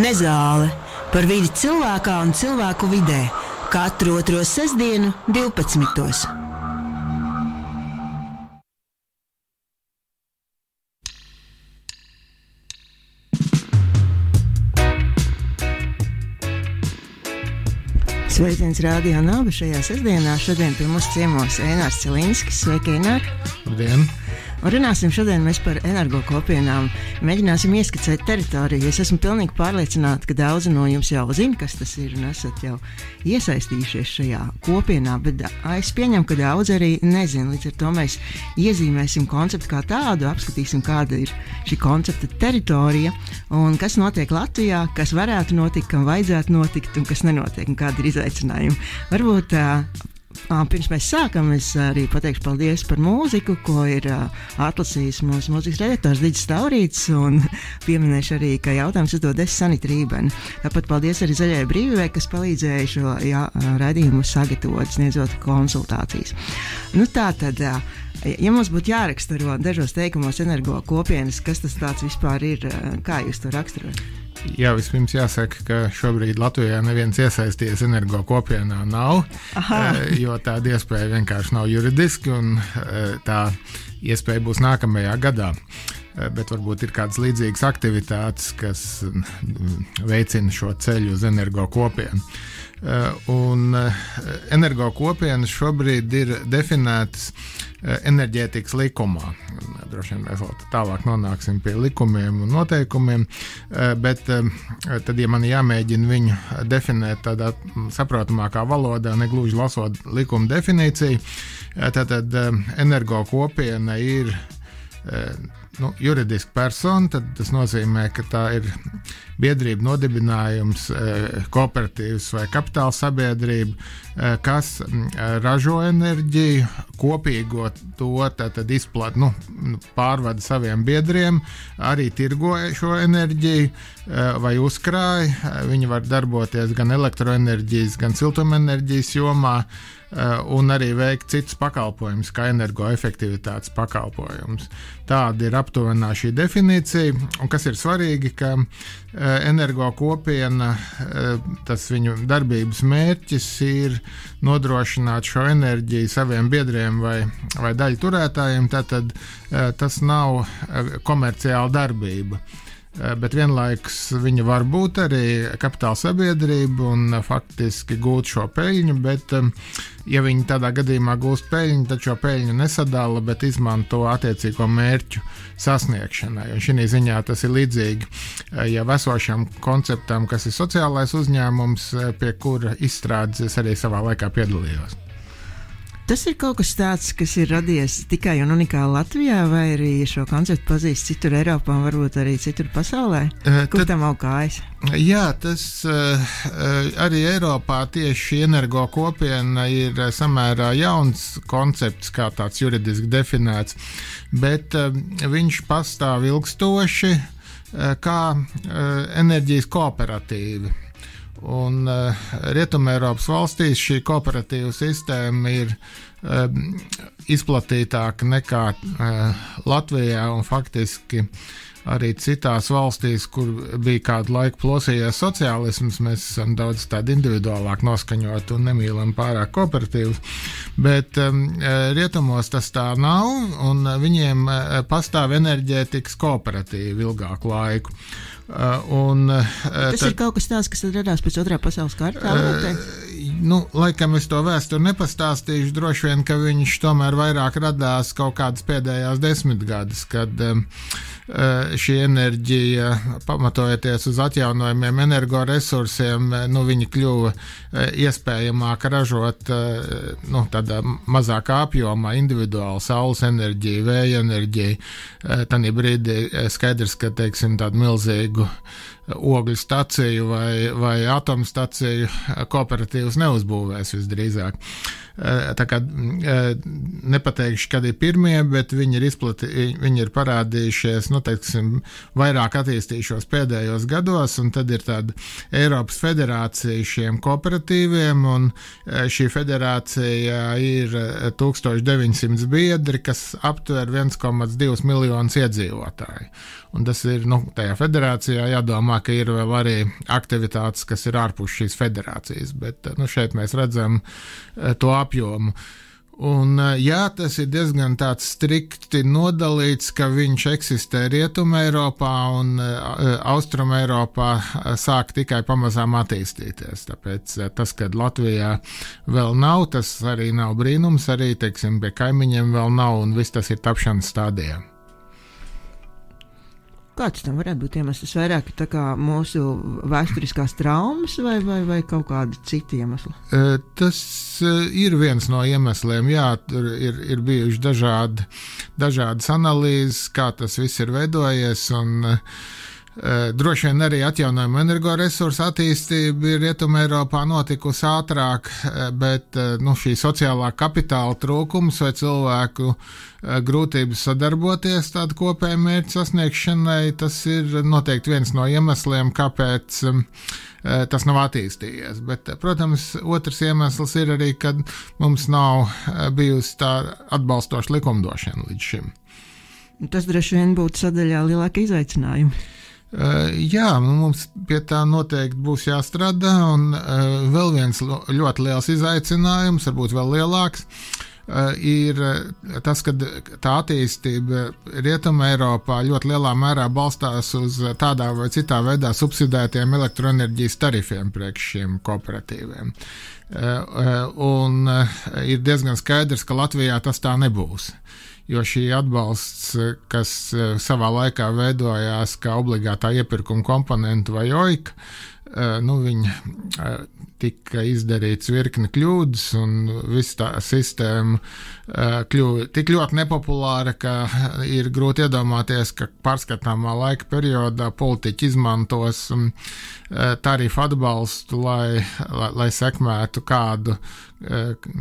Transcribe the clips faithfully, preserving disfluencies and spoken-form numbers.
Nezāle par vidi cilvēkā un cilvēku vidē katru otro sestdienu divpadsmitos. Sveiciens Radio Naba šajā sestdienā. Šodien pie mums ciemos Einārs Celinskis. Sveiki, Einār! Labdien! Un runāsim šodien mēs par energokopienām. Mēģināsim ieskicēt teritoriju. Es esmu pilnīgi pārliecināta, ka daudzi no jums jau zina, kas tas ir un esat jau iesaistījušies šajā kopienā, bet es pieņemu, ka daudzi arī nezina. Līdz ar to mēs iezīmēsim konceptu kā tādu, apskatīsim, kāda ir šī koncepta teritorija un kas notiek Latvijā, kas varētu notikt, kam vajadzētu notikt un kas nenotiek un kādi ir izaicinājumi. Varbūt pirms mēs sākam, es arī pateikšu paldies par mūziku, ko ir atlasījis mūsu mūzikas redaktors Diģis Taurīts, un pieminēšu arī, ka jautājums uzdod es Sanita Rībena. Tāpat paldies arī Zaļajai brīvībai, kas palīdzēja šo jā, raidījumu sagatavot, sniedzot konsultācijas. Nu tā tad, ja mums būtu jāraksturo dažos teikumos energokopienas, kas tas tāds vispār ir, kā jūs to raksturot? Jā, vispirms jāsaka, ka šobrīd Latvijā neviens iesaisties energokopienā nav, Aha. jo tāda iespēja vienkārši nav juridiski, un tā iespēja būs nākamajā gadā. Bet varbūt ir kādas līdzīgas aktivitātes, kas veicina šo ceļu uz energokopienu. Un energokopienas šobrīd ir definētas enerģētikas likumā. Droši vien mēs vēl tālāk nonāksim pie likumiem un noteikumiem, bet tad, ja man jāmēģina viņu definēt tādā saprotamākā valodā, negluži lasot likuma definīciju, tad energokopiena ir nu, juridiska persona, tad tas nozīmē, ka tā ir biedrība, nodibinājums, kooperatīvs vai kapitāla sabiedrība, kas ražo enerģiju, kopīgo to tad izplat, nu, pārvada saviem biedriem, arī tirgo šo enerģiju vai uzkrāja. Viņi var darboties gan elektroenerģijas, gan siltumenerģijas jomā, un arī veikt citus pakalpojumus, kā energoefektivitātes pakalpojumus. Tāda ir aptuvenā šī definīcija, un kas ir svarīgi, ka energokopiena, tas viņu darbības mērķis ir nodrošināt šo enerģiju saviem biedriem vai, vai daļu turētājiem, tātad tas nav komerciāla darbība. Bet vienlaikus viņa var būt arī kapitāla sabiedrība un faktiski gūt šo peļņu, bet ja viņi tādā gadījumā gūst peļņu, tad šo peļņu nesadala, bet izmanto attiecīgo mērķu sasniegšanai. Un šī ziņā tas ir līdzīgi jau esošam konceptam, kas ir sociālais uzņēmums, pie kura izstrādes es arī savā laikā piedalījos. Tas ir kaut kas tāds, kas ir radies tikai un unikāli Latvijā, vai arī šo konceptu pazīst citur Eiropā un varbūt arī citur pasaulē? Kur Tad, tam augājas? Jā, tas uh, arī Eiropā tieši energokopiena ir samērā jauns koncepts, kā tāds juridiski definēts, bet uh, viņš pastāv ilgstoši uh, kā uh, enerģijas kooperatīvi. Un uh, Rietumēropas valstīs šī kooperatīva sistēma ir uh, izplatītāka nekā uh, Latvijā un faktiski arī citās valstīs, kur bija kādu laiku plosījies sociālisms, mēs esam daudz tādi individuālāk noskaņot un nemīlam pārāk kooperatīvus, bet um, rietumos tas tā nav, un viņiem uh, pastāv enerģētikas kooperatīvi ilgāku laiku. Uh, un, uh, tas tad, ir kaut kas tāds, kas radās pēc otrā pasaules kara? Uh, nu, laikam es to vēsturi nepastāstīšu, droši vien, ka viņš tomēr vairāk radās kaut kādas pēdējās desmitgades, kad um, uh, šī enerģija, pamatojoties uz atjaunojumiem energoresursiem, nu, viņi kļuva uh, iespējamāk ražot uh, nu, tādā mazākā apjomā individuālu saules enerģiju, vēja enerģiju. Uh, Tanī brīdī skaidrs, ka, teiksim, tādu milzīgu ogļu staciju vai, vai atomstaciju kooperatīvas neuzbūvēs visdrīzāk. tā kā nepateikšu, kad ir pirmie, bet viņi ir izplati, viņi ir parādījušies, nu, teiksim, vairāk attīstījušos pēdējos gados, un tad ir tāda Eiropas federācija šiem kooperatīviem, un šī federācija ir tūkstoš deviņsimt biedri, kas aptver viens komats divi miljonus iedzīvotāju. Un tas ir, nu, tajā federācijā jādomā, ka ir vēl arī aktivitātes, kas ir ārpus šīs federācijas, bet, nu, šeit mēs redzam to apjomu. Un, jā, tas ir diezgan tāds strikti nodalīts, ka viņš eksistē Rietumē Eiropā un Austrumē Eiropā sāk tikai pamazām attīstīties. Tāpēc tas, kad Latvijā vēl nav, tas arī nav brīnums, arī, teiksim, pie kaimiņiem vēl nav, un viss tas ir tapšanas stādījā. Kāds tam varētu būt iemesls? Vairāk tā kā mūsu vēsturiskās traumas vai, vai, vai kaut kādi citi iemesli? Tas ir viens no iemesliem, jā, tur ir, ir bijuši dažādi, dažādas analīzes, kā tas viss ir veidojies, un droši vien arī atjaunojama energoresursu attīstība ir Rietumē Eiropā notikusi ātrāk, bet, nu, šī sociālā kapitāla trūkums vai cilvēku grūtības sadarboties tādu kopēju mērķu sasniegšanai, tas ir noteikti viens no iemesliem, kāpēc tas nav attīstījies. Bet, protams, otrs iemesls ir arī, kad mums nav bijusi tā atbalstoša likumdošana līdz šim. Tas droši vien būtu sadaļā lielāka izaicinājuma. Uh, jā, mums pie tā noteikti būs jāstrādā, un uh, vēl viens ļoti liels izaicinājums, varbūt vēl lielāks, uh, ir tas, ka tā attīstība Rietumē Eiropā ļoti lielā mērā balstās uz tādā vai citā veidā subsidētiem elektroenerģijas tarifiem priekš šiem kooperatīviem. Uh, uh, un uh, ir diezgan skaidrs, ka Latvijā tas tā nebūs. Jo šī atbalsts, kas savā laikā veidojās kā obligātā iepirkuma komponenta vai O I K, nu, viņa tika izdarīts virkni kļūdas, un viss tā sistēma kļuva tik ļoti nepopulāra, ka ir grūti iedomāties, ka pārskatāmā laika periodā politiķi izmantos tarifu atbalstu, lai, lai, lai sekmētu kādu,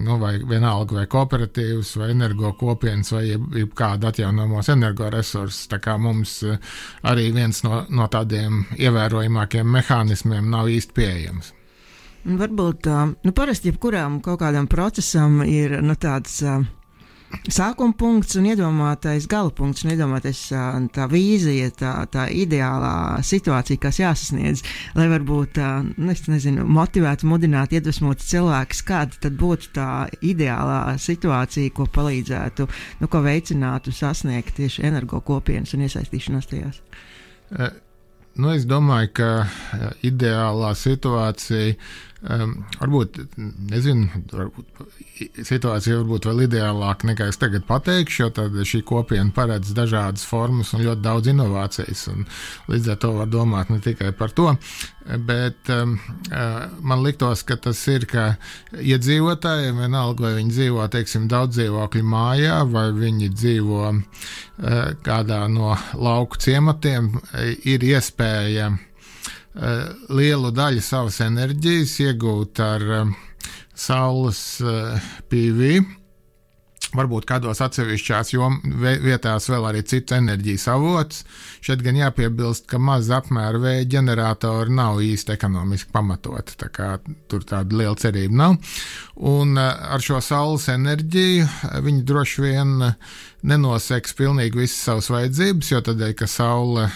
nu, vai vienalga vai kooperatīvus, vai energo kopienas, vai jeb, jeb kādu atjaunojamos energoresursus. Tā kā mums arī viens no, no tādiem ievērojamākiem mehānismiem nav īsti pieejams. Varbūt, nu, parasti jebkurām kaut kādam procesam ir, nu, tāds sākuma punkts un iedomātais gala punkts, un iedomātais tā vīzija, tā, tā ideālā situācija, kas jāsasniedz, lai varbūt, nu, es nezinu, motivētu, mudinātu, iedvesmotu cilvēkus, kāda tad būtu tā ideālā situācija, ko palīdzētu, nu, ko veicinātu sasniegt tieši energo kopienas un iesaistīšanās tajās. Uh. Nu, es domāju, ka ideālā situācija, um, varbūt, nezinu, varbūt situācija varbūt vēl ideālāka nekā es tagad pateikšu, jo tad šī kopiena paredz dažādas formas un ļoti daudz inovācijas, un līdz ar to var domāt ne tikai par to, bet um, man liktos, ka tas ir, ka iedzīvotājiem, vienalga, vai viņi dzīvo, teiksim, daudz dzīvokļu mājā, vai viņi dzīvo uh, kādā no lauku ciematiem, ir iespēja uh, lielu daļu savas enerģijas iegūt ar uh, saules uh, P V, varbūt kādos atsevišķās jom, vietās vēl arī citu enerģijas avots. Šeit gan jāpiebilst, ka maza apmēra vēja ģeneratori nav īsti ekonomiski pamatoti, tā kā tur tāda liela cerība nav. Un ar šo saules enerģiju viņi droši vien nenoseks pilnīgi visas savas vajadzības, jo tādēļ, ka saule,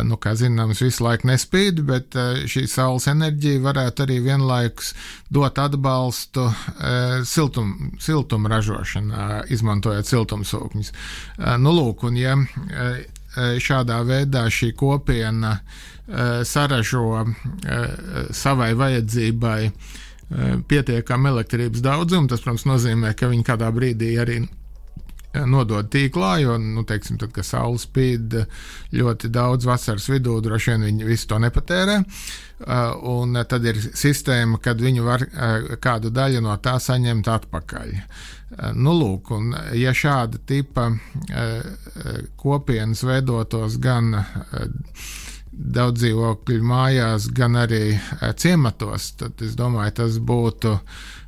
nu, kā zināms, visu laiku nespīd, bet šī saules enerģija varētu arī vienlaikus dot atbalstu siltum, siltuma ražošanā, izmantojot siltumsūkņus. Nu, lūk, un ja šādā veidā šī kopiena saražo savai vajadzībai pietiekam elektrības daudzumu, tas, protams, nozīmē, ka viņi kādā brīdī arī nodod tīklā, jo, nu, teiksim, tad, kad saule spīd ļoti daudz vasaras vidū, droši vien viņi visu to nepatērē, un tad ir sistēma, kad viņi var kādu daļu no tā saņemt atpakaļ. Nu, lūk, un ja šāda tipa kopienas veidotos gan daudz dzīvokļu mājās, gan arī ciematos, tad es domāju, tas būtu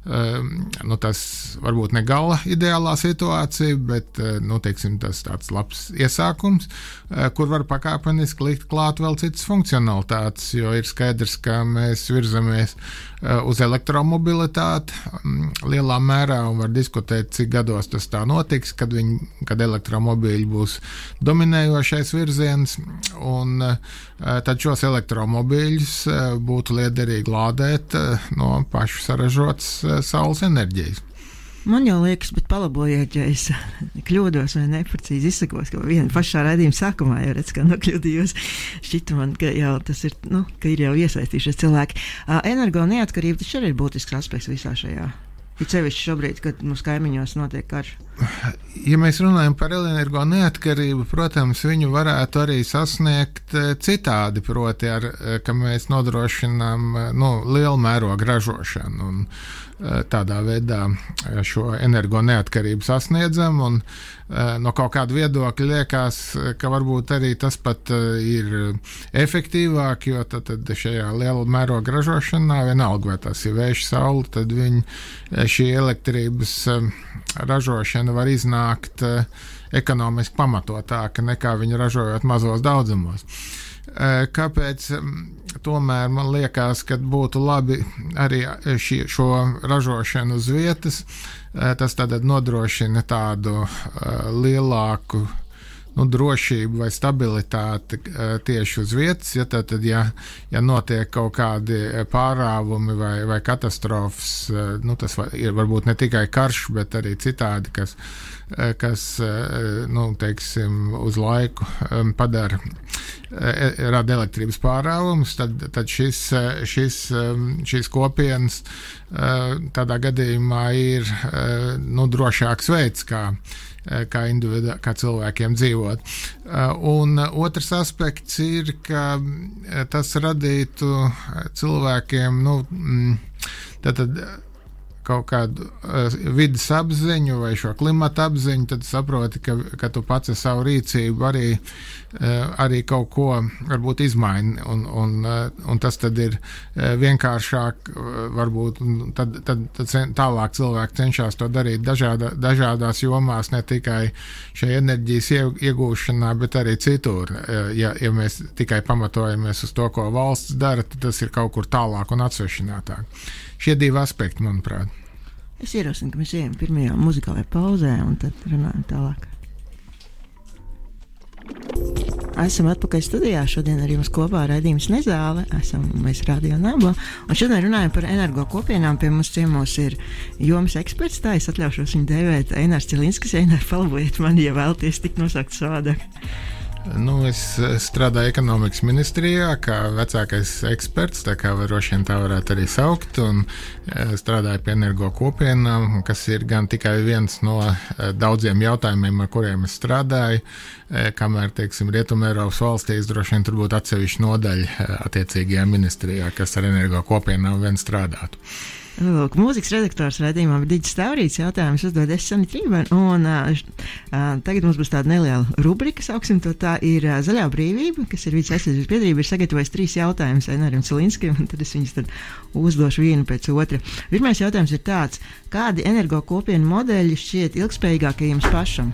Nu, tas varbūt ne gala ideālā situācija, bet nu, teiksim, tas tāds labs iesākums, kur var pakāpeniski likt klāt vēl citas funkcionalitātes, jo ir skaidrs, ka mēs virzamies uz elektromobilitāti lielā mērā un var diskutēt, cik gados tas tā notiks, kad, viņi, kad elektromobīļi būs dominējošais virziens, un tad šos elektromobīļus būtu liederīgi lādēt no pašu saražotas saules enerģijas. Man jau liekas, bet palabojiet, ja es kļūdos vai neprecīzi izsakos, ka viena pašā raidījuma sākumā jau redz, kā nokļūdījos. Šķita man, ka jau tas ir, nu, ka ir jau iesaistījušies cilvēki. Energo neatkarība taču arī ir būtisks aspekts visā šajā. Ir sevišķi šobrīd, kad mums kaimiņos notiek karš. Ja mēs runājam par energo neatkarību, protams, viņu varētu arī sasniegt citādi, proti, ar, ka mēs nodrošinām nu, lielu mērogu ražošanu un tādā veidā šo energo neatkarību sasniedzam, un no kaut kāda viedokļa liekas, ka varbūt arī tas pat ir efektīvāk, jo tad, tad šajā liela mēroga ražošanā, vienalga vai tas ir vējš, saule, tad viņi, šī elektrības ražošana var iznākt ekonomiski pamatotāka nekā viņa ražojot mazos daudzumos. Kāpēc tomēr man liekas, ka būtu labi arī šī, šo ražošanu uz vietas, tas tad nodrošina tādu lielāku nu, drošību vai stabilitāti tieši uz vietas, ja tad, ja, ja notiek kaut kādi pārāvumi vai, vai katastrofas, nu, tas var, ir varbūt ne tikai karš, bet arī citādi, kas, kas nu, teiksim, uz laiku padara, rada elektrības pārāvumus, tad, tad šis, šis, šīs kopienas tādā gadījumā ir nu, drošāks veids, kā Kā, individu, kā cilvēkiem dzīvot. Un otrs aspekts ir, ka tas radītu cilvēkiem nu, tātad kaut kādu vidas apziņu vai šo klimata apziņu, tad saproti, ka, ka tu pats ar savu rīcību arī, arī kaut ko varbūt izmaini, un, un, un tas tad ir vienkāršāk, varbūt tad, tad, tad tālāk cilvēki cenšas to darīt dažāda, dažādās jomās, ne tikai šai enerģijas iegūšanā, bet arī citur. Ja, ja mēs tikai pamatojamies uz to, ko valsts dara, tad tas ir kaut kur tālāk un atsvešinātāk. Šie divi aspekti, manuprāt. Es ierosinu, ka mēs ejam pirmajā muzikālajā pauzē un tad runājam tālāk. Esam atpakaļ studijā. Šodien ar jums kopā raidījums Nezāle. Esam mēs Radio Naba. Un šodien runājam par energo kopienām. Pie mums ciemos ir jomas eksperts. Tā es atļaušos viņu dēvēt Einārs Cilinskis. Einār, palabojiet mani, ja vēlaties tik nosaukt savādāk. Nu, es strādāju ekonomikas ministrijā kā vecākais eksperts, tā kā droši vien tā varētu arī saukt, un strādāju pie energo kopienām, kas ir gan tikai viens no daudziem jautājumiem, ar kuriem es strādāju, kamēr, teiksim, Rietumē Eiropas valstīs droši vien tur būtu atsevišķa nodaļa attiecīgajā ministrijā, kas ar energo kopienām vien strādātu. Lūk, mūzikas redaktors raidījumā ir Diģis Taurīts, jautājums uzdod es Sanita Rībana, un uh, tagad mums būs tāda neliela rubrika, sauksim to tā, ir uh, Zaļā brīvība, kas ir vidas aizsardzības biedrība, ir sagatavojis trīs jautājumus Eināram Cilinskim, un tad es viņus tad uzdošu vienu pēc otra. Pirmais jautājums ir tāds, kādi energo kopienu modeļi šķiet ilgspējīgākie jums pašam?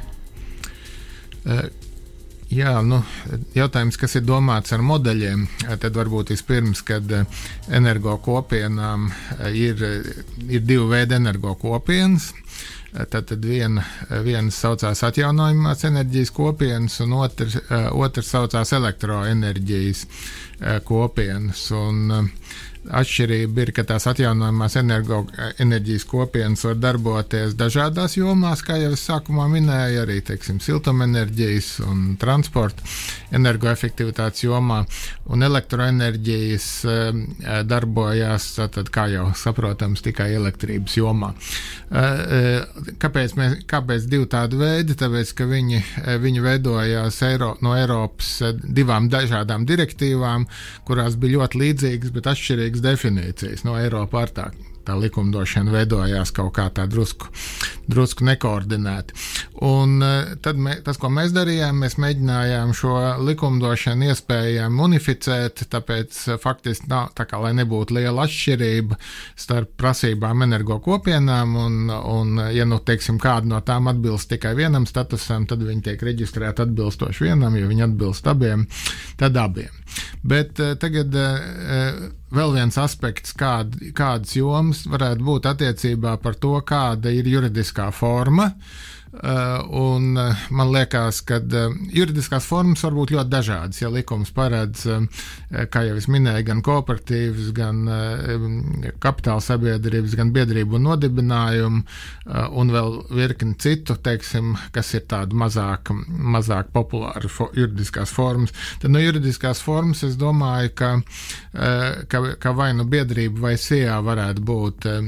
Uh. Jā, nu, jautājums, kas ir domāts ar modeļiem, tad varbūt vispirms, kad energo kopienām ir, ir divi veidi energo kopienas. Tad, tad viena, viena saucās atjaunojumās enerģijas kopienas, un otrs, otrs saucās elektroenerģijas kopienas. Un atšķirība ir, ka tās atjaunojumās energo, enerģijas kopienas var darboties dažādās jomās, kā jau es sākumā minēju, arī, teiksim, siltumenerģijas un transporta energoefektivitātes jomā, un elektroenerģijas e, darbojās, tad, kā jau saprotams, tikai elektrības jomā. E, kāpēc, mēs, kāpēc divi tādi veidi? Tāpēc, ka viņi, viņi veidojās Eiro, no Eiropas divām dažādām direktīvām, kurās bija ļoti līdzīgas, bet atšķirīgas definīcijas no Eiropa ar tā, tā likumdošana veidojās kaut kā tā drusku, drusku nekoordinēti. Un tad mē, tas, ko mēs darījām, mēs mēģinājām šo likumdošanu iespējami unificēt, tāpēc faktiski nav, tā kā lai nebūtu liela atšķirība starp prasībām energo kopienām, un, un ja, nu, teiksim, kāda no tām atbilst tikai vienam statusam, tad viņi tiek reģistrēti atbilstoši vienam, ja viņi atbilst abiem, tad abiem. Bet uh, tagad uh, vēl viens aspekts, kād, kādas jomas varētu būt attiecībā par to, kāda ir juridiskā forma. Uh, un uh, man liekas, ka uh, juridiskās formas var būt ļoti dažādas. Ja likums paredz, uh, kā jau es minēju, gan kooperatīvas, gan uh, kapitāla sabiedrības, gan biedrību un nodibinājumu, uh, un vēl virkni citu, teiksim, kas ir tādu mazāk, mazāk populāru fo- juridiskās formas, tad no juridiskās formas es domāju, ka, uh, ka, ka vai nu biedrība vai S I A varētu būt uh,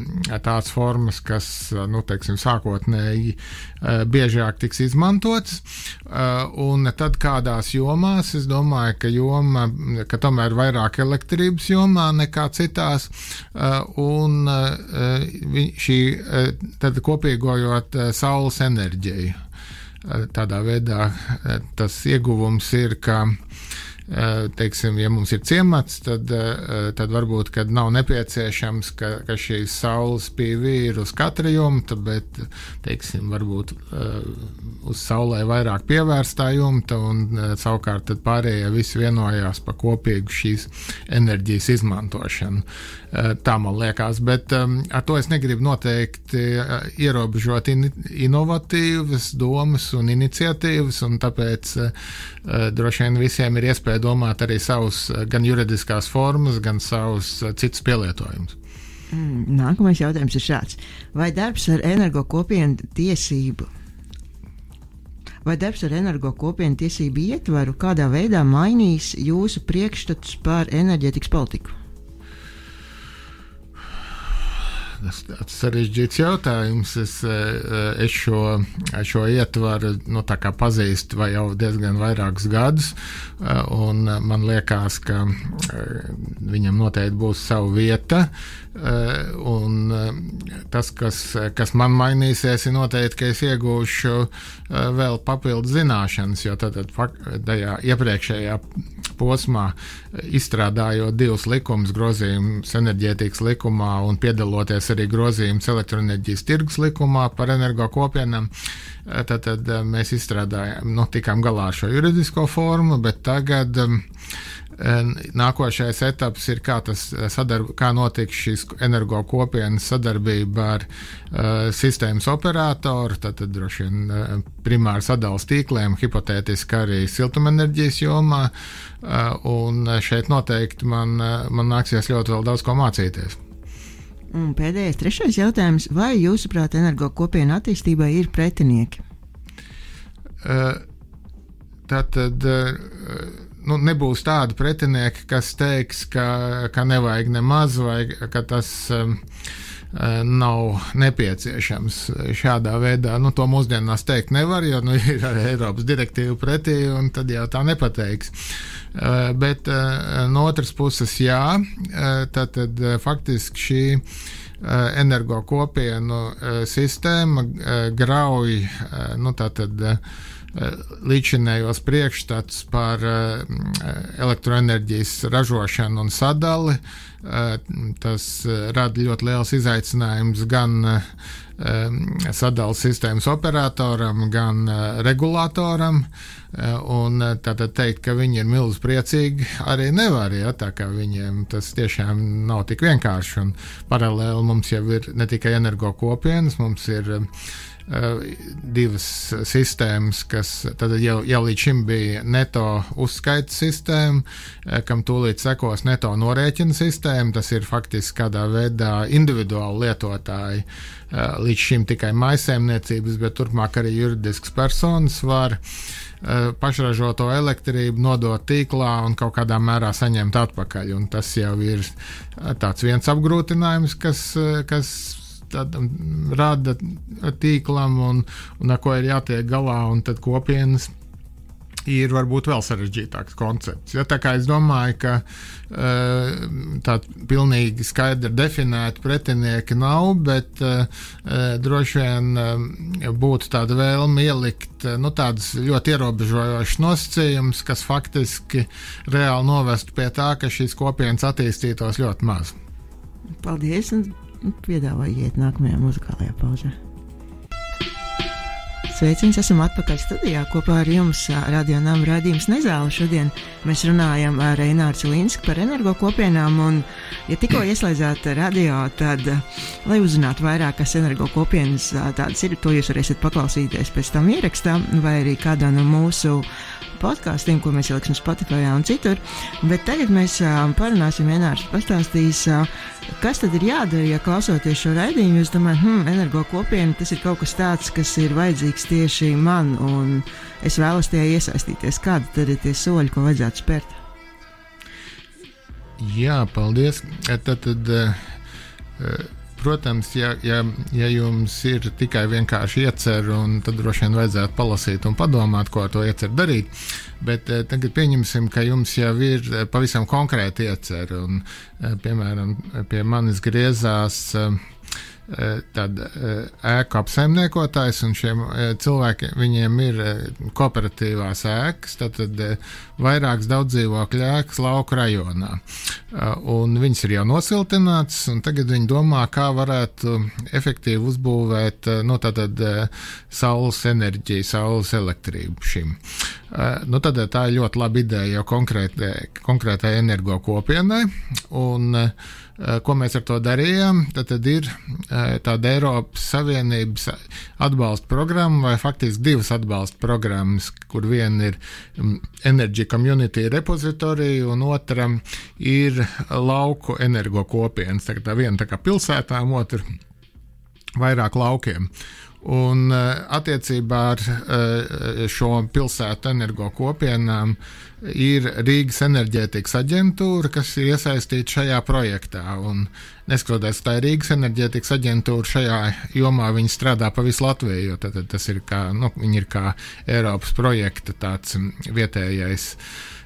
tāds formas, kas, uh, nu, teiksim, sākotnēji uh, biežāk tiks izmantots, un tad kādās jomās, es domāju, ka joma, ka tomēr vairāk elektrības jomā nekā citās, un šī, tad kopīgojot saules enerģiju. Tādā veidā tas ieguvums ir, ka teiksim, ja mums ir ciemats, tad, tad varbūt, kad nav nepieciešams, ka, ka šīs saules P V ir uz katra jumta, bet, teiksim, varbūt uz saulē vairāk pievērstā jumta, un savukārt tad pārējie visi vienojās par kopīgu šīs enerģijas izmantošanu. Tā man liekas, bet ar to es negribu noteikti ierobežot in, inovatīvas domas un iniciatīvas, un tāpēc droši vien visiem ir iespēja domāt arī savus gan juridiskās formas, gan savus citus pielietojumus. Nākamais jautājums ir šāds. Vai darbs ar energo kopienu tiesību Vai darbs ar energo kopienu tiesību ietvaru kādā veidā mainīs jūsu priekšstatus par enerģētikas politiku? Tas ir sarežģīts jautājums. Es, es šo, šo ietvaru nu, tā kā pazīstu vai jau diezgan vairākus gadus, un man liekas, ka viņam noteikti būs sava vieta. Un tas, kas, kas man mainīsies, ir noteikti, ka es iegūšu vēl papildu zināšanas, jo tad tajā iepriekšējā posmā, izstrādājot divus likumus, grozījumus enerģētikas likumā un piedaloties arī grozījumus elektroenerģijas tirgus likumā par energo kopienām, tad, tad mēs izstrādājām, nu, tikām galā ar šo juridisko formu, bet tagad nākošais etaps ir, kā, tas sadarb, kā notiks šīs energo kopienas sadarbība ar uh, sistēmas operatoru, tad, tad droši vien uh, primāri sadales tīkliem, hipotētiski arī siltumenerģijas jomā, uh, un šeit noteikti man, uh, man nāksies ļoti vēl daudz ko mācīties. Un pēdējais, trešais jautājums. Vai jūsuprāt energo kopienu attīstībai ir pretinieki? Uh, Tātad uh, nu, nebūs tādi pretinieki, kas teiks, ka, ka nevajag nemaz vai ka tas um, nav nepieciešams šādā veidā. Nu, to mūsdienās teikt nevar, jo nu, ir arī Eiropas direktīva pretī, un tad jau tā nepateiks. Uh, bet uh, no otras puses jā, uh, tad, tad uh, faktiski šī uh, energo kopienu uh, sistēma uh, grauj, uh, nu tātad uh, līdzinējos priekšstats par uh, elektroenerģijas ražošanu un sadali. Uh, tas uh, rada ļoti liels izaicinājums gan uh, sadales sistēmas operatoram, gan uh, regulātoram. Uh, un uh, tātad teikt, ka viņi ir milz priecīgi, arī nevar, ja, tā kā viņiem tas tiešām nav tik vienkārši. Un paralēli mums jau ir ne tikai energo kopienas, mums ir uh, Uh, divas sistēmas, kas tad jau, jau līdz šim bija neto uzskaita sistēma, uh, kam tūlīt sekos neto norēķina sistēma. Tas ir faktiski kādā veidā individuāli lietotāji. Uh, līdz šim tikai mājsaimniecības, bet turpmāk arī juridiskas personas var uh, pašražoto elektrību nodot tīklā un kaut kādā mērā saņemt atpakaļ. Un tas jau ir uh, tāds viens apgrūtinājums, kas, uh, kas tad rada tīklam un, un ar ko ir jātiek galā, un tad kopienas ir varbūt vēl sarežģītāks koncepts. Ja, tā kā es domāju, ka uh, tāda pilnīgi skaidri definēta pretinieki nav, bet uh, droši vien uh, būtu tāda vēlme ielikt uh, nu, tādas ļoti ierobežojošas nosacījumus, kas faktiski reāli novestu pie tā, ka šīs kopienas attīstītos ļoti maz. Paldies, un piedāvāju iet nākamajā muzikālajā pauzē. Sveiciens, esam atpakaļ studijā kopā ar jums Radio Nama raidījums Nezāle. Šodien mēs runājam ar Eināru Cilinsku par energo kopienām, un, ja tikko ieslēdzāt radio, tad, lai uzzinātu vairāk, kas energo kopienas tādas ir, to jūs varēsiet paklausīties pēc tam ierakstā, vai arī kādā no mūsu podkāstiem, ko mēs ieliksim Spotify un citur. Bet tagad mēs parunāsim, Einārs pastāstīs, kas tad ir jādara, ja klausoties šo raidījumu, jūs domājat, hm, energo kopiena, tas ir kaut kas tāds, kas ir vajadzīgs tieši man, un es vēlos tajā iesaistīties. Kādi tad ir tie soļi, ko vajadzētu spērt? Jā, paldies. Tad, tad uh, protams, ja, ja, ja jums ir tikai vienkārši iecer, un tad droši vien vajadzētu palasīt un padomāt, ko ar to iecer darīt, bet uh, tagad pieņemsim, ka jums jau ir uh, pavisam konkrēti iecer, un, uh, piemēram, pie manis griezās uh, tad ēku apsaimniekotājs, un šiem cilvēkiem, viņiem ir kooperatīvās ēkas, tad, tad vairākas daudzdzīvokļu ēkas lauku rajonā. Un viņas ir jau nosiltināts, un tagad viņi domā, kā varētu efektīvi uzbūvēt, nu, tātad saules enerģiju, saules elektrību šim. Nu, tad tā ir ļoti laba ideja jau konkrētai, konkrētai energo kopienai, un ko mēs ar to darījām, tad, tad ir tāda Eiropas Savienības atbalsta programma, vai faktiski divas atbalsta programmas, kur viena ir Energy Community Repository, un otra ir lauku energo kopienas. Tā, tā viena tā kā pilsētām, otra vairāk laukiem. Un attiecībā ar šo pilsētu energo kopienām ir Rīgas enerģētikas aģentūra, kas ir iesaistīta šajā projektā. Un neskatoties, tā ir Rīgas enerģētikas aģentūra, šajā jomā viņi strādā pa visu Latviju, jo tad, tas ir kā, nu, viņi ir kā Eiropas projekta tāds vietējais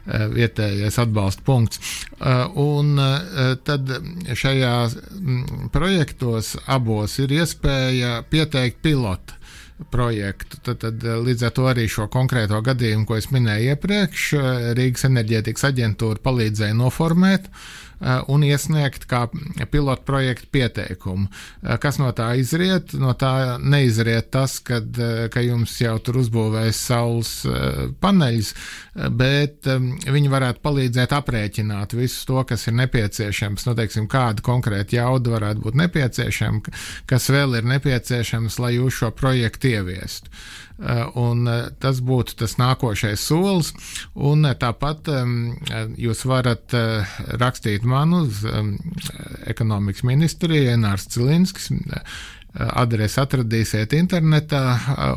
vietējais atbalsta punkts. Un tad šajā projektos abos ir iespēja pieteikt pilotu projektu. Tad, tad līdz ar to arī šo konkrēto gadījumu, ko es minēju iepriekš, Rīgas enerģētikas aģentūra palīdzēja noformēt un iesniegt kā pilotu projektu pieteikumu. Kas no tā izriet? No tā neizriet tas, kad, ka jums jau tur uzbūvēs saules paneļus, bet viņi varētu palīdzēt aprēķināt visu to, kas ir nepieciešams. Nu, teiksim, kāda konkrēta jauda varētu būt nepieciešama, kas vēl ir nepieciešams, lai jūs šo projektu ieviestu. Un tas būtu tas nākošais solis, un tāpat jūs varat rakstīt man uz ekonomikas ministriju, Einārs Cilinskis, adresi atradīsiet internetā,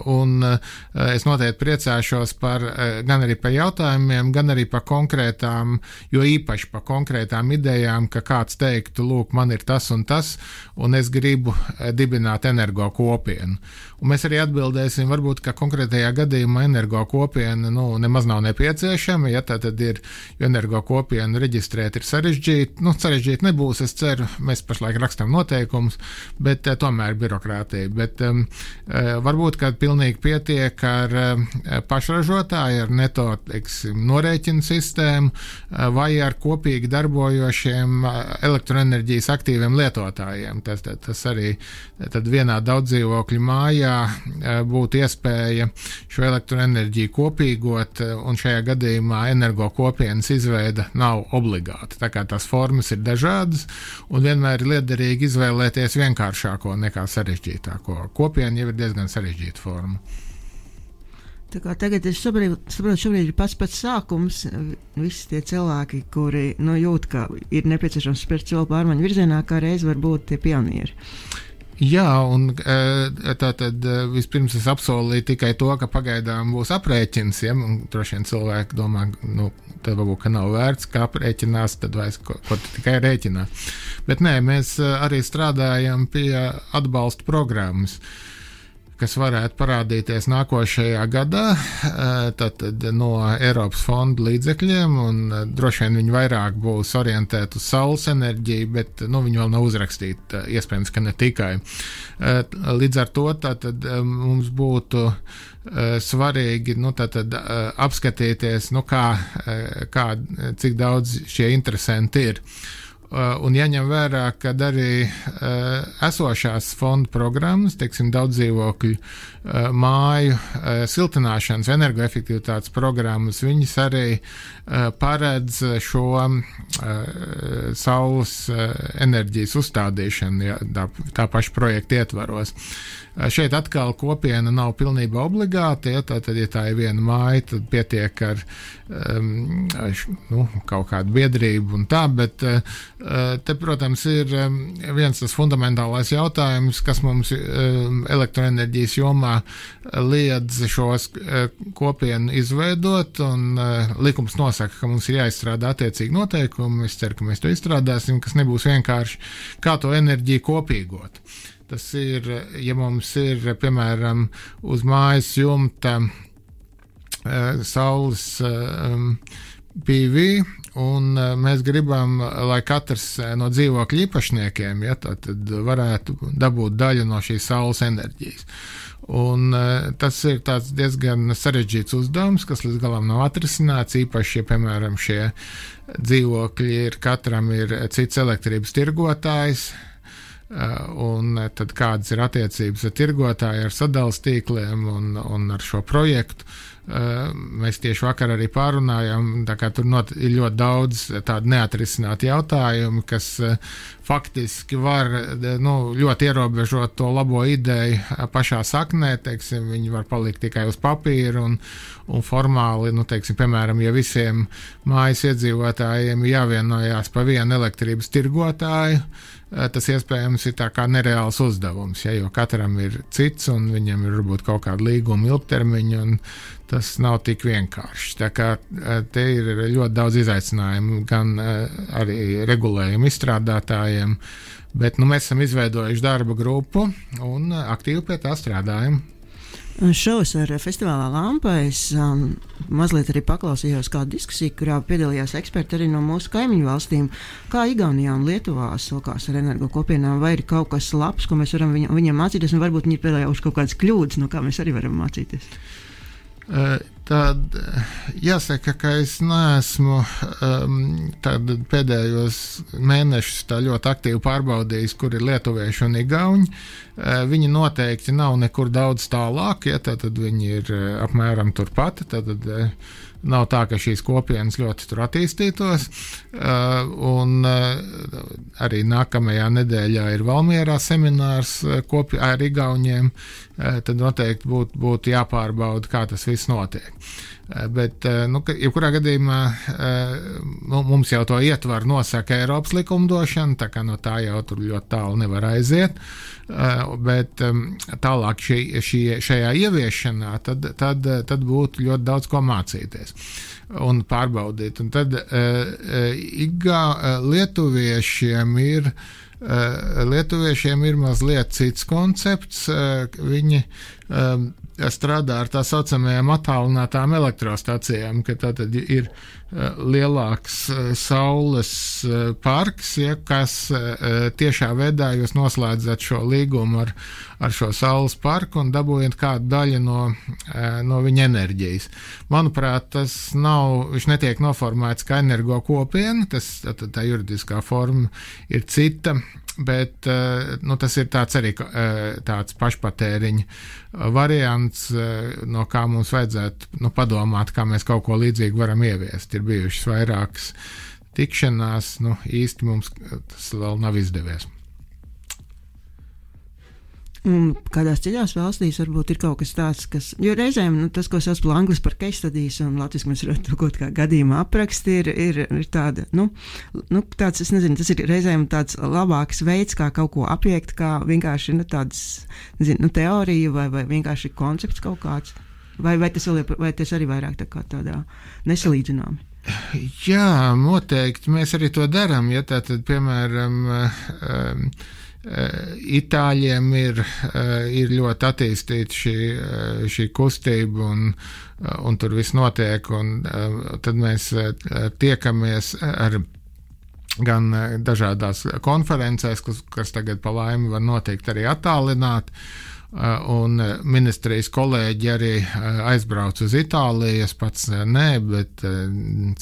un es noteikti priecāšos par, gan arī par jautājumiem, gan arī par konkrētām, jo īpaši par konkrētām idejām, ka kāds teiktu, lūk, man ir tas un tas, un es gribu dibināt energo kopienu. Un mēs arī atbildēsim, varbūt, ka konkrētajā gadījumā energo kopiena, nu, nemaz nav nepieciešama, ja tā tad ir, jo energo kopienu reģistrēt ir sarežģīti, nu, sarežģīti nebūs, es ceru, mēs pašlaik rakstam noteikumus, bet uh, tomēr birokrātija, bet um, uh, varbūt, ka pilnīgi pietiek ar uh, pašražotāju, ar neto, teiksim, norēķinu sistēmu, uh, vai ar kopīgi darbojošiem uh, elektroenerģijas aktīviem lietotājiem. Tas, tas, tas arī tad vienā daudzdzīvokļu mājā būtu iespēja šo elektroenerģiju kopīgot, un šajā gadījumā energo kopienas izveida nav obligāta. Tā kā tās formas ir dažādas, un vienmēr ir liederīgi izvēlēties vienkāršāko nekā sarežģītāko. Kopiena jau ir diezgan sarežģīta forma. Tā kā tagad es saprotu, šobrīd ir pats pats sākums. Visi tie cilvēki, kuri nu, jūt, ka ir nepieciešams spērt soli pārmaiņu virzienā, kā reiz var būt tie pionieri. Jā, un tā tad vispirms es apsolīju tikai to, ka pagaidām būs aprēķins, ja, un droši vien cilvēki domā, nu, tad varbūt, ka nav vērts, kā aprēķinās, tad vairs ko, ko tikai rēķināt. Bet nē, mēs arī strādājam pie atbalsta programmas. kas varētu parādīties nākošajā gadā, tātad no Eiropas fonda līdzekļiem, un droši vien viņi vairāk būs orientēti uz saules enerģiju, bet nu, viņi vēl nav uzrakstīti, iespējams, ka ne tikai. Līdz ar to tātad mums būtu svarīgi nu, tātad, apskatīties, nu, kā, kā, cik daudz šie interesanti ir. Un jāņem vērā, ka arī uh, esošās fonda programmas, teiksim, daudz dzīvokļu uh, māju uh, siltināšanas, energoefektivitātes programmas, viņas arī uh, paredz šo uh, saules uh, enerģijas uzstādīšanu, ja, tā, tā paša projekta ietvaros. Uh, šeit atkal kopiena nav pilnībā obligāta, ja, tātad, ja tā ir viena māja, tad pietiek ar um, š, nu, kaut kādu biedrību un tā, bet uh, te, protams, ir viens tas fundamentālais jautājums, kas mums elektroenerģijas jomā liedz šos kopienu izveidot, un likums nosaka, ka mums ir jāizstrādā attiecīgi noteikumi. Es ceru, ka mēs to izstrādāsim, kas nebūs vienkārši kā to enerģiju kopīgot. Tas ir, ja mums ir, piemēram, uz mājas jumta saules P V, un mēs gribam, lai katrs no dzīvokļu īpašniekiem ja, tad varētu dabūt daļu no šīs saules enerģijas. Un tas ir tāds diezgan sarežģīts uzdevums, kas līdz galam nav atrisināts, īpaši, ja, piemēram, šie dzīvokļi ir, katram ir cits elektrības tirgotājs, un tad kādas ir attiecības ar tirgotāju, ar sadales tīkliem un, un ar šo projektu. Mēs tieši vakar arī pārunājām, tā kā tur not, ir ļoti daudz tādu neatrisinātu jautājumu, kas faktiski var nu, ļoti ierobežot to labo ideju pašā saknē, teiksim, viņi var palikt tikai uz papīra un, un formāli, nu, teiksim, piemēram, ja visiem mājas iedzīvotājiem jāvienojās pa vienu elektrības tirgotāju, tas iespējams ir tā kā nereāls uzdevums, ja, jo katram ir cits un viņam ir varbūt kaut kāda līguma ilgtermiņa un tas nav tik vienkārši. Tā kā te ir ļoti daudz izaicinājumu gan arī regulējumu izstrādātājiem, bet nu, mēs esam izveidojuši darba grupu un aktīvi pie tā strādājam. Šovs ar festivālā Lampa es um, mazliet arī paklausījos kādu diskusiju, kurā piedalījās eksperti arī no mūsu kaimiņu valstīm, kā Igaunijā un Lietuvā sokās ar energo kopienām, vai ir kaut kas labs, ko mēs varam viņ, viņam mācīties, un varbūt viņi ir piedalījuši kaut kādas kļūdas, no kā mēs arī varam mācīties. Tad jāsaka, ka es neesmu um, pēdējos mēnešus tā ļoti aktīvi pārbaudījis, kur ir lietuvieši un igauņi. Uh, viņi noteikti nav nekur daudz tālāk, ja, tad viņi ir uh, apmēram turpat, tad uh, nav tā, ka šīs kopienas ļoti tur attīstītos. Uh, un uh, arī nākamajā nedēļā ir Valmierā seminārs uh, kopi, ar igauņiem, uh, tad noteikti būtu būt jāpārbauda, kā tas viss notiek. Uh, bet, uh, nu, jebkurā gadījumā uh, mums jau to ietvaru nosaka Eiropas likumdošana, tā kā no tā jau tur ļoti tālu nevar aiziet. Uh, bet um, tālāk šī, šī, šajā ieviešanā tad, tad, tad būtu ļoti daudz ko mācīties un pārbaudīt. Un tad uh, igā uh, lietuviešiem ir uh, lietuviešiem ir mazliet cits koncepts. Uh, viņi um, strādā ar tā saucamajām attālinātām elektrostacijām, ka tātad ir uh, lielāks uh, saules uh, parks, ja, kas uh, tiešā veidā jūs noslēdzat šo līgumu ar, ar šo saules parku un dabūjat kādu daļu no, uh, no viņa enerģijas. Manuprāt, tas nav, viņš netiek noformēts kā energo kopiena, tas, tā, tā juridiskā forma ir cita, bet nu, tas ir tāds arī tāds pašpatēriņa variants, no kā mums vajadzētu nu, padomāt, kā mēs kaut ko līdzīgu varam ieviest. Ir bijušas vairākas tikšanās, nu, īsti mums tas vēl nav izdevies. Un kādās citās valstīs varbūt ir kaut kas tāds, kas, jo reizēm nu, tas, ko sauc par anglis par case studies un latviski mēs varam to kaut kā gadījumā apraksti, ir, ir, ir tāda, nu, nu, tāds, es nezinu, tas ir reizēm tāds labāks veids, kā kaut ko apiekt, kā vienkārši, nu, tāds, nezinu, nu, teorija vai, vai vienkārši koncepts kaut kāds, vai, vai, tas, vēl, vai tas arī vairāk tā kā tādā nesalīdzināmi? Jā, noteikti, mēs arī to darām, ja tā tad, piemēram, um, Itāļiem ir, ir ļoti attīstīta šī, šī kustība un, un tur viss notiek, un tad mēs tiekamies ar gan dažādās konferencēs, kas, kas tagad pa laimi var notikt arī attālināt, un ministrijas kolēģi arī aizbrauc uz Itāliju, es pats nē, bet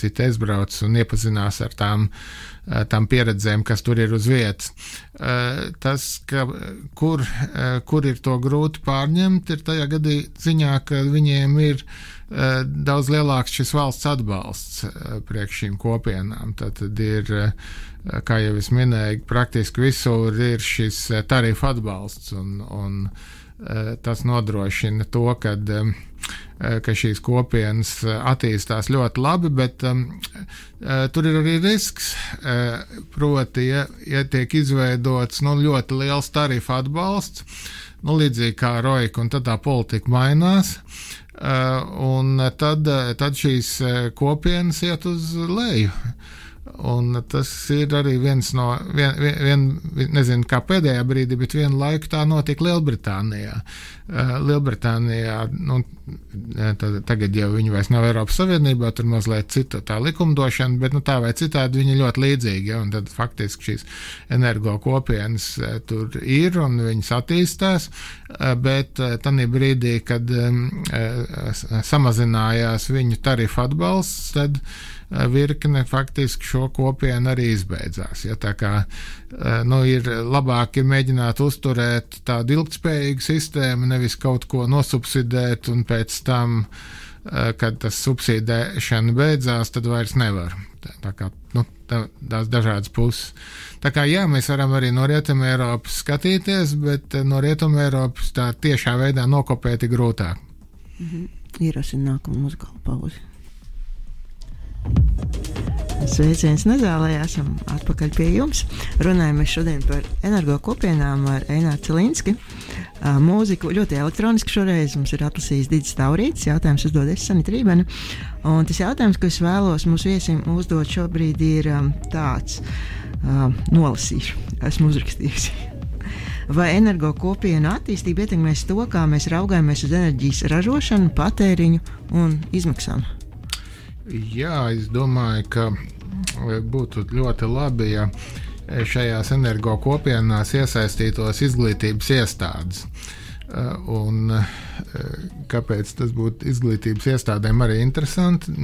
citi aizbrauc un iepazinās ar tām, tām pieredzēm, kas tur ir uz vietas. Tas, ka, kur, kur ir to grūti pārņemt, ir tajā gadī ziņā, ka viņiem ir daudz lielāks šis valsts atbalsts priekš šīm kopienām. Tad ir, kā jau es minēju, praktiski visur ir šis tarifu atbalsts, un, un tas nodrošina to, kad, ka šīs kopienas attīstās ļoti labi, bet um, tur ir arī risks, proti, ja, ja tiek izveidots nu, ļoti liels tarifu atbalsts, nu, līdzīgi kā Roika, un tad tā politika mainās, un tad, tad šīs kopienas iet uz leju. Un tas ir arī viens no, vien, vien, nezinu, kā pēdējā brīdī, bet vienu laiku tā notika Lielbritānijā. Uh, Lielbritānijā, nu, tad, tagad jau viņi vairs nav Eiropas Savienībā, tur mazliet cita tā likumdošana, bet nu, tā vai citādi viņi ļoti līdzīgi, ja, un tad faktiski šīs energo kopienas uh, tur ir un viņas attīstās, uh, bet uh, tanī brīdī, kad um, uh, samazinājās viņu tarifu atbalsts, tad virkne faktiski šo kopienu arī izbeidzās. Ja, tā kā nu, ir labāk ir mēģināt uzturēt tādu ilgtspējīgu sistēmu, nevis kaut ko nosubsidēt un pēc tam, kad tas subsidēšana beidzās, tad vairs nevar. Tā, tā kā, nu, tā, tās dažādas puses. Tā kā jā, mēs varam arī no Rietuma Eiropas skatīties, bet no Rietuma Eiropas tā tiešā veidā nokopēt ir grūtāk. Mhm. Ierosina nākamu muzikālu pauzi. Sveiciens Nezālē, esam atpakaļ pie jums. Runājamies šodien par energo kopienām ar Eināru Cilinski. Mūziku ļoti elektroniski šoreiz mums ir atlasījis Didis Taurītis, jautājums uzdod es Sanita Rībena. Un tas jautājums, ko es vēlos mūsu viesim uzdot šobrīd ir tāds, nolasīšu, esmu uzrakstījusi. Vai energo kopiena attīstība ietekmēs to, kā mēs raugājamies uz enerģijas ražošanu, patēriņu un izmaksām? Jā, es domāju, ka būtu ļoti labi, ja šajās energo kopienās iesaistītos izglītības iestādes. Un kāpēc tas būtu izglītības iestādēm arī interesanti?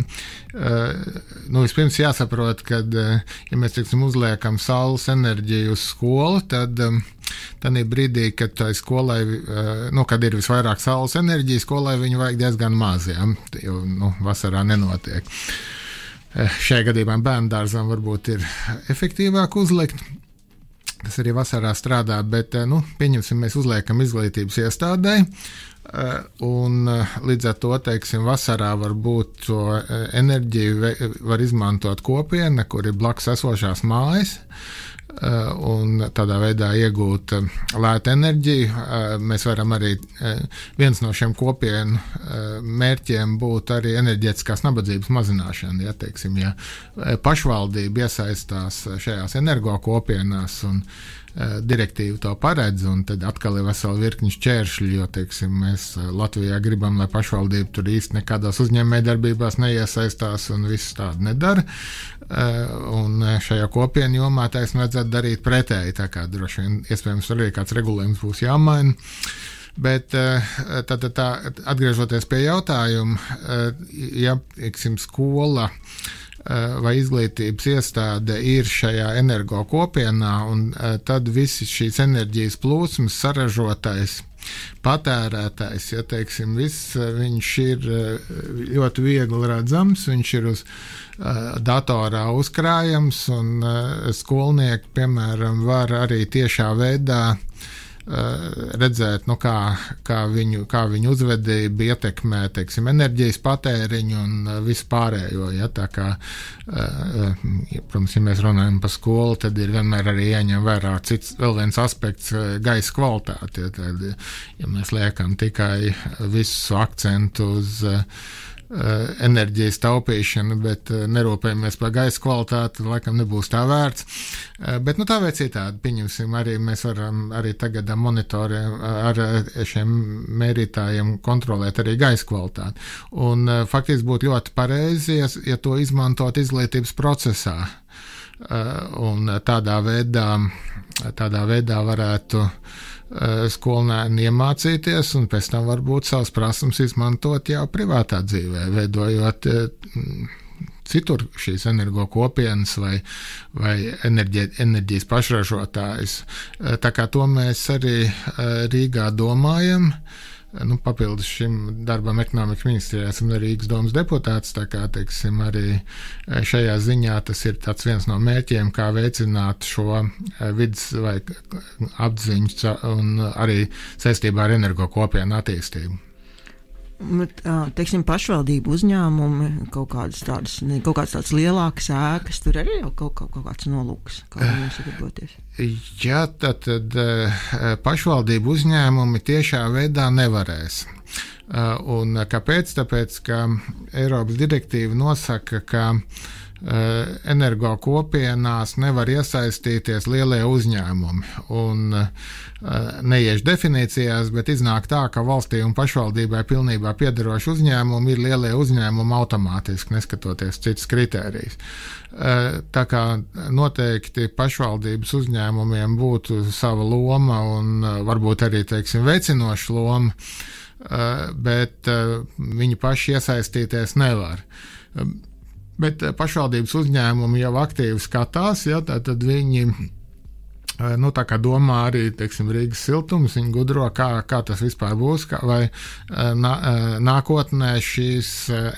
Nu, vispirms jāsaprot, ka, ja mēs, teiksim, uzliekam saules enerģiju uz skolu, tad tādā brīdī, kad tai skolai, nu, kad ir visvairāk saules enerģija, skolai viņu vajag diezgan maz, ja, jo, nu, vasarā nenotiek. Šajā gadījumā bērndārzam varbūt ir efektīvāk uzlikt, kas arī vasarā strādā, bet, nu, pieņemsim, mēs uzliekam izglītības iestādē, un līdz ar to, teiksim, vasarā varbūt to enerģiju var izmantot kopiena, kur ir blakus esošās mājas, un tādā veidā iegūt lētu enerģiju. Mēs varam arī, viens no šiem kopienu mērķiem būtu arī enerģētiskās nabadzības mazināšana, ja, teiksim, ja pašvaldība iesaistās šajās energo kopienās un direktīva to paredz, un tad atkal ir vesela virkni šķēršļi, jo, teiksim, mēs Latvijā gribam, lai pašvaldība tur īsti nekādās uzņēmējdarbībās neiesaistās un viss tādu nedara. Un šajā kopienu jomā taisn vajadzētu darīt pretēji, tā kā droši vien iespējams arī kāds regulējums būs jāmaina. Bet tā, tā, tā, atgriežoties pie jautājuma, ja, teiksim, skola vai izglītības iestāde ir šajā energo kopienā, un tad visi šīs enerģijas plūsmas saražotais, patērētais, ja, teiksim, viss, viņš ir ļoti viegli redzams, viņš ir uz datorā uzkrājams, un skolnieki, piemēram, var arī tiešā veidā redzēt, nu, kā, kā, viņu, kā viņu uzvedība ietekmē, teiksim, enerģijas patēriņu un visu pārējo. Ja, tā kā, protams, ja mēs runājam par skolu, tad ir vienmēr arī jāņem vērā cits, vēl viens aspekts - gaisa kvalitāte. Ja, tad, ja mēs liekam tikai visu akcentu uz enerģijas taupīšanu, bet nerūpējamies par gaisa kvalitāti, laikam nebūs tā vērts. Bet nu, tā vai citādi, pieņemsim, arī mēs varam arī tagad ar monitoriem, ar šiem mērītājiem kontrolēt arī gaisa kvalitāti. Un faktiski būtu ļoti pareizi, ja, ja to izmantot izglītības procesā. Un tādā veidā, tādā veidā varētu skolēni iemācīties un pēc tam varbūt savas prasmes izmantot jau privātā dzīvē, veidojot citur šīs energo kopienas vai, vai enerģi, enerģijas pašražotājus. Tā kā to mēs arī Rīgā domājam. Nu, papildus šim darbam ekonomikas ministrijā esam arī Rīgas domas deputāts, tā kā, teiksim, arī šajā ziņā tas ir tāds viens no mērķiem, kā veicināt šo vidas vai apziņu un arī saistībā ar energo kopienu attīstību. Bet, teiksim, pašvaldību uzņēmumi, kaut kādas tādas, kaut kādas tādas lielākas ēkas, tur arī jau kaut, kaut, kaut kāds nolūks, kā viņiem sadarboties. Jā, tad, tad pašvaldību uzņēmumi tiešā veidā nevarēs. Un kāpēc? Tāpēc, ka Eiropas direktīva nosaka, ka energo kopienās nevar iesaistīties lielie uzņēmumi. Un neiešu definīcijās, bet iznāk tā, ka valstī un pašvaldībai pilnībā piederoši uzņēmumi ir lielie uzņēmumi automātiski, neskatoties citas kritērijas. Tā kā noteikti pašvaldības uzņēmumiem būtu sava loma un varbūt arī, teiksim, veicinoša loma, bet viņi paši iesaistīties nevar. Bet pašvaldības uzņēmumi jau aktīvi skatās, ja, tad viņi nu, tā kā domā arī, teiksim, Rīgas siltums, viņi gudro, kā, kā tas vispār būs, kā, vai nā, nākotnē šīs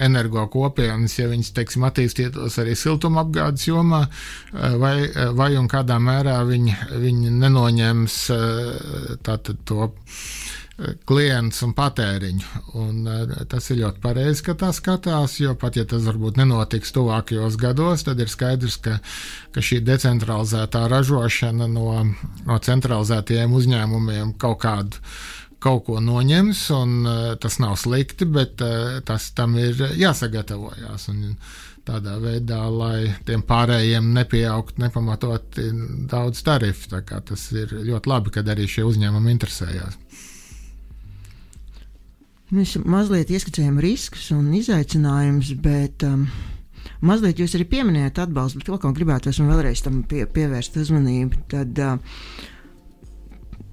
energo kopienas, ja viņas, teiksim, attīstītos arī siltuma apgādes jomā, vai, vai un kādā mērā viņi, viņi nenoņems tātad to klients un patēriņu. Un tas ir ļoti pareizi, ka tā skatās, jo pat ja tas varbūt nenotiks tuvākajos gados, tad ir skaidrs, ka, ka šī decentralizētā ražošana no, no centralizētajiem uzņēmumiem kaut kādu kaut ko noņems, un tas nav slikti, bet tas tam ir jāsagatavojās. Un tādā veidā, lai tiem pārējiem nepieaugt nepamatot daudz tarifu. Tā kā tas ir ļoti labi, kad arī šie uzņēmumi interesējās. Mēs mazliet ieskicējam riskus un izaicinājumus, bet um, mazliet jūs arī pieminējat atbalstu, bet vēl kaut gribētos un vēlreiz tam pie, pievērst uzmanību. Tad, uh,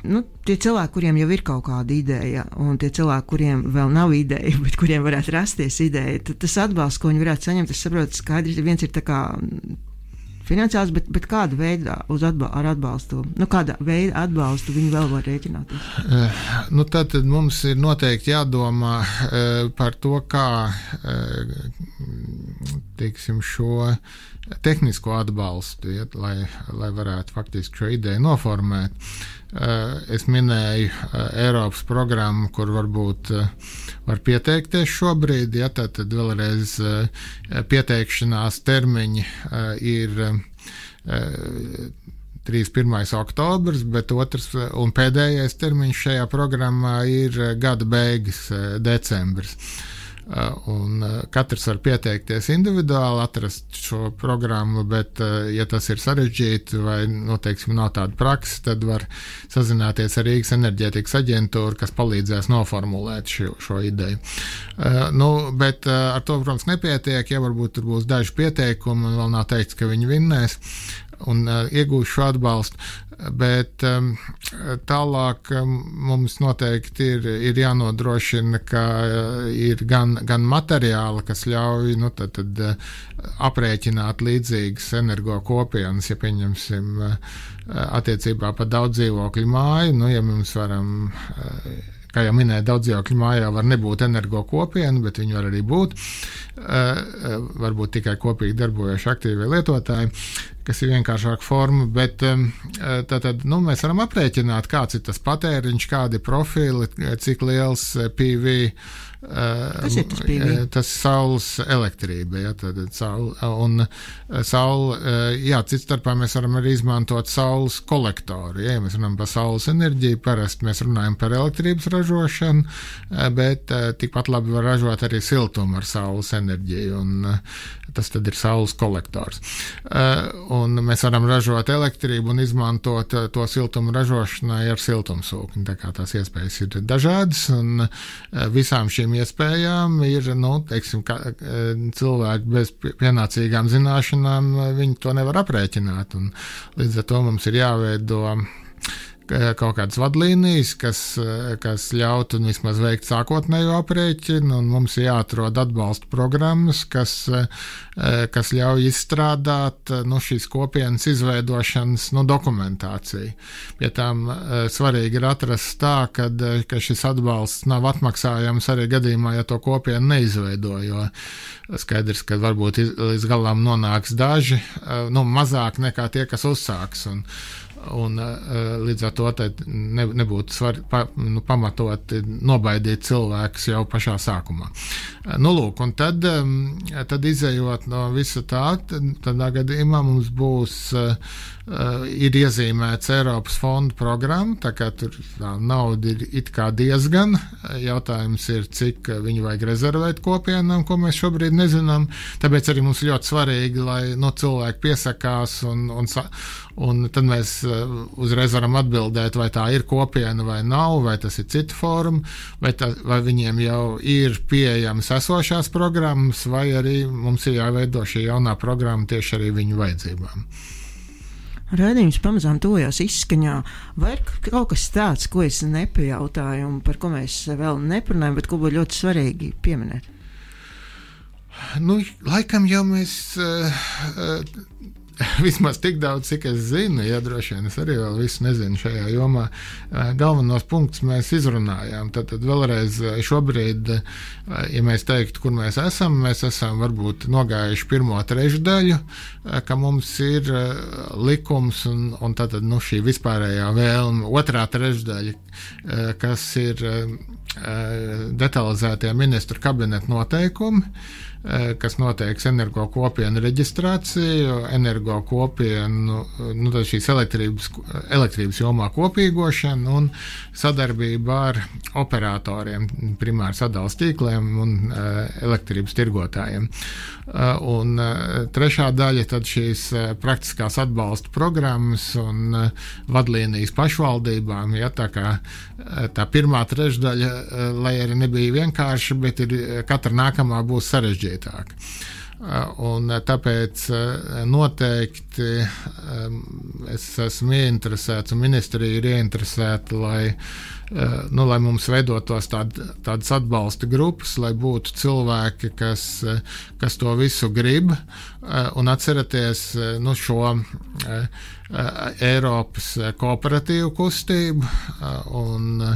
nu, tie cilvēki, kuriem jau ir kaut kāda ideja, un tie cilvēki, kuriem vēl nav ideja, bet kuriem varētu rasties ideja, tad tas atbalsts, ko viņi varētu saņemt, es saprotu, skaidrs, viens ir tā kā finansiāls, bet, bet kāda veida uz atbal, ar atbalstu, nu kāda veida atbalstu viņi vēl var rēķināties? Uh, nu tad, tad mums ir noteikti jādomā uh, par to, kā uh, teiksim, šo tehnisko atbalstu, ja, lai, lai varētu faktiski šo ideju noformēt. Uh, es minēju uh, Eiropas programmu, kur varbūt uh, var pieteikties šobrīd, ja, tad, tad vēlreiz uh, pieteikšanās termiņi uh, ir uh, trīsdesmit pirmais oktobrs, bet otrs un pēdējais termiņš šajā programmā ir gada beigas, uh, decembris. Un katrs var pieteikties individuāli, atrast šo programmu, bet, ja tas ir sarežģīti vai, nu, teiksim, nav tāda praksa, tad var sazināties ar Rīgas enerģētikas aģentūru, kas palīdzēs noformulēt šo, šo ideju. Uh, nu, bet uh, ar to, protams, nepietiek, ja varbūt tur būs daži pieteikumi un vēl nav teikts, ka viņi vinnēs un uh, iegūs šo atbalstu. Bet um, tālāk um, mums noteikti ir, ir jānodrošina, ka uh, ir gan, gan materiāli, kas ļauj nu, tad, tad, uh, aprēķināt līdzīgas energo kopienas, ja pieņemsim uh, attiecībā par daudz dzīvokļu māju, nu, ja mums varam, uh, kā jau minēju, daudz dzīvokļu mājā var nebūt energo kopiena, bet viņi var arī būt, uh, varbūt tikai kopīgi darbojoši aktīvie lietotāji. kas ir vienkāršāka forma, bet tātad, nu, mēs varam aprēķināt, kāds ir tas patēriņš, kādi profili, cik liels P V. Kas ir tas P V? Tas saules elektrība, ja, tad saule, un saule, jā, cits starpā mēs varam arī izmantot saules kolektoru, ja, ja mēs runājam par saules enerģiju, parasti mēs runājam par elektrības ražošanu, bet tikpat labi var ražot arī siltumu ar saules enerģiju, un tas tad ir saules kolektors. Un mēs varam ražot elektrību un izmantot to siltumu ražošanai ar siltumsūkni, tā kā tās iespējas ir dažādas, un visām šīm iespējām ir, nu, teiksim, ka, cilvēki bez pienācīgām zināšanām, viņi to nevar aprēķināt, un līdz ar to mums ir jāveido kaut kādas vadlīnijas, kas, kas ļautu vismaz veikt sākotnējo aprēķinu, un mums ir jāatrod atbalsta programmas, kas, kas ļauj izstrādāt, nu, šīs kopienas izveidošanas, nu, dokumentāciju. Pie tām svarīgi ir atrast tā, kad, ka šis atbalsts nav atmaksājams arī gadījumā, ja to kopienu neizveido, jo skaidrs, ka varbūt līdz galam nonāks daži, nu, mazāk nekā tie, kas uzsāks, un Un līdz ar to ne, nebūtu svar, pa, nu, pamatot nobaidīt cilvēkus jau pašā sākumā. Nu, lūk, un tad, tad izējot no visa tā, tad, tādā gadījumā mums būs, ir iezīmēts Eiropas fondu programma, tā kā tur tā nauda ir it kā diezgan. Jautājums ir, cik viņu vajag rezervēt kopienām, ko mēs šobrīd nezinām. Tāpēc arī mums ļoti svarīgi, lai no cilvēki piesakās un, un, un tad mēs uzreiz varam atbildēt, vai tā ir kopiena vai nav, vai tas ir cita forma, vai, tā, vai viņiem jau ir pieejamas esošās programmas, vai arī mums ir jāveido šī jaunā programma tieši arī viņu vajadzībām. Raidījums pamazām tojās izskaņā. Vai ir kaut kas tāds, ko es nepajautāju un par ko mēs vēl neparunājam, bet ko būtu ļoti svarīgi pieminēt? Nu, laikam jau mēs... Uh, uh, Vismaz tik daudz, cik es zinu, ja droši vien es arī vēl visu nezinu šajā jomā. Galvenos punktus mēs izrunājām. Tad, tad vēlreiz šobrīd, ja mēs teiktu, kur mēs esam, mēs esam varbūt nogājuši pirmo trešdaļu, ka mums ir likums un, un tad, nu, šī vispārējā vēlme. Otrā trešdaļa, kas ir detalizētie ministru kabineta noteikumi, kas noteiks energo kopienu reģistrāciju, energo kopienu, nu, tad šīs elektrības, elektrības jomā kopīgošanu un sadarbību ar operatoriem, primāri sadales tīkliem un uh, elektrības tirgotājiem. Uh, un uh, trešā daļa tad šīs uh, praktiskās atbalsta programmas un uh, vadlīnijas pašvaldībām, ja, tā kā uh, tā pirmā trešdaļa, uh, lai arī nebija vienkārši, bet ir, katra nākamā būs sarežģīta. Un tāpēc noteikti es esmu ieinteresēts un ministrija ir ieinteresēta, lai, nu, lai mums veidotos tād, tādas atbalsta grupas, lai būtu cilvēki, kas, kas to visu grib, un atceraties, nu, šo Eiropas kooperatīvu kustību, un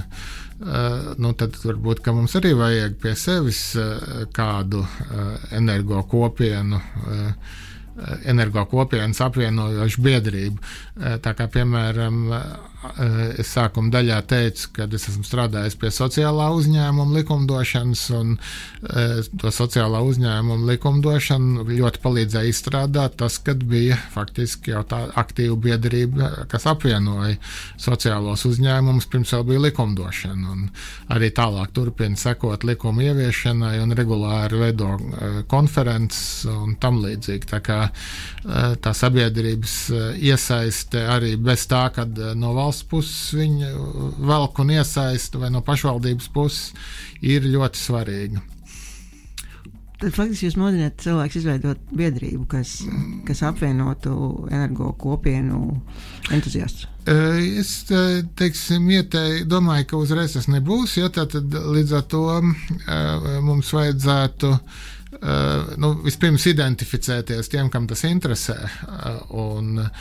Uh, nu, tad varbūt, ka mums arī vajag pie sevis uh, kādu uh, energo kopienu, uh, energo kopienas apvienojošu biedrību. Uh, tā kā, piemēram, uh, es sākuma daļā teicu, ka es esmu strādājis pie sociālā uzņēmuma likumdošanas, un uh, to sociālā uzņēmuma likumdošanu ļoti palīdzēja izstrādāt tas, kad bija faktiski jau tā aktīva biedrība, kas apvienoja sociālos uzņēmumus, pirms jau bija likumdošana. Un arī tālāk turpina sekot likuma ieviešanai un regulāri veido uh, konferences un tam līdzīgi. Tā kā uh, tā sabiedrības uh, iesaiste arī bez tā, kad uh, no valsts puses viņa velk un iesaista vai no pašvaldības puses ir ļoti svarīga. Tad faktiski jūs modināt cilvēks izveidot biedrību, kas, kas apvienotu energo kopienu entuziastus? Es, teiksim, ietei, domāju, ka uzreiz tas nebūs, ja tā tad līdz ar to mums vajadzētu uh, nu, vispirms identificēties tiem, kam tas interesē, uh, un uh,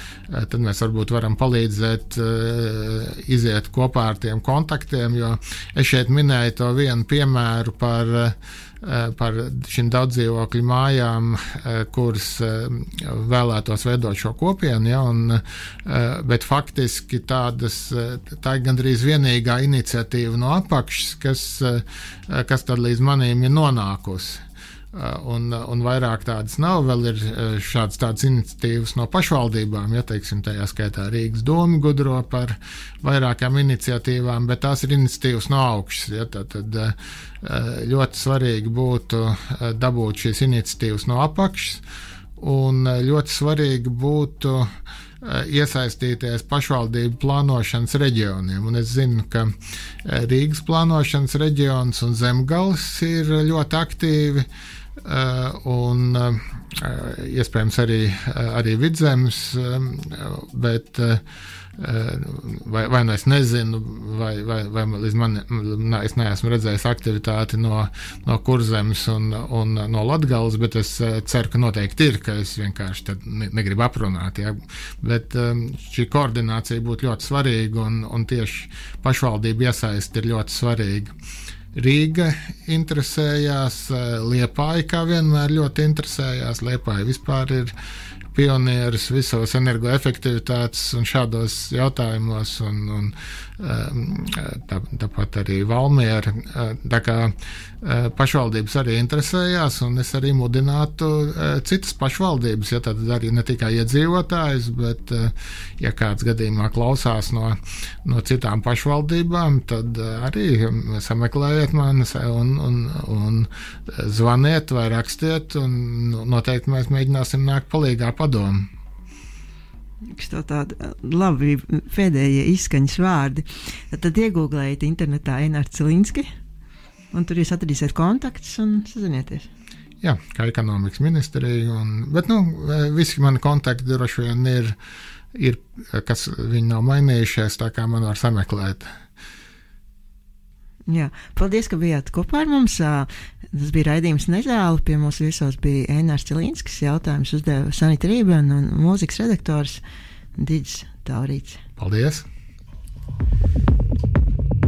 tad mēs varbūt varam palīdzēt uh, iziet kopā ar tiem kontaktiem, jo es šeit minēju to vienu piemēru par uh, par šīm daudzdzīvokļu mājām, kuras vēlētos veidot šo kopienu, ja, un, bet faktiski tādas, tā ir gandrīz vienīgā iniciatīva no apakšas, kas, kas tad līdz manīm ir nonākusi. Un, un vairāk tādas nav, vēl ir šādas tādas iniciatīvas no pašvaldībām, ja teiksim, tajā skaitā Rīgas doma gudro par vairākām iniciatīvām, bet tās ir iniciatīvas no augšas, ja, tad, tad ļoti svarīgi būtu dabūt šīs iniciatīvas no apakšas, un ļoti svarīgi būtu iesaistīties pašvaldību plānošanas reģioniem. Un es zinu, ka Rīgas plānošanas reģions un Zemgales ir ļoti aktīvi, un iespējams arī, arī Vidzemes, bet vai, vai nu es nezinu, vai, vai, vai līdz man, es neesmu redzējis aktivitāti no, no Kurzemes un, un no Latgales, bet es ceru, ka noteikti ir, ka es vienkārši tad negribu aprunāt. Ja? Bet šī koordinācija būtu ļoti svarīga, un, un tieši pašvaldību iesaist ir ļoti svarīga. Rīga interesējās, Liepāja kā vienmēr ļoti interesējās, Liepāja vispār ir pionieris visos energoefektivitātes un šādos jautājumos, un, un tā, tāpat arī Valmiera. Tā kā pašvaldības arī interesējās, un es arī mudinātu citas pašvaldības, ja tad arī ne tikai iedzīvotājus, bet ja kāds gadījumā klausās no, no citām pašvaldībām, tad arī sameklējiet mani un, un, un zvaniet vai rakstiet, un noteikti mēs mēģināsim nākt palīgā padomu. Tā tāda labi pēdējie izskaņas vārdi. Tad, tad iegūglējiet internetā Enārs Cilinski, un tur jūs atradīsiet kontaktus un sazinieties. Jā, kā ekonomikas ministrija, un, bet nu, visi mani kontakti droši vien ir, ir, kas viņi nav mainījušies, tā kā man var sameklēt. Jā, paldies, ka bijāt kopā ar mums. Tas bija raidījums Nezāle. Pie mūsu viesos bija Enārs Cilinskis. Jautājums uzdeva Sanita Rībena un mūzikas redaktors Digis Taurīts. Paldies!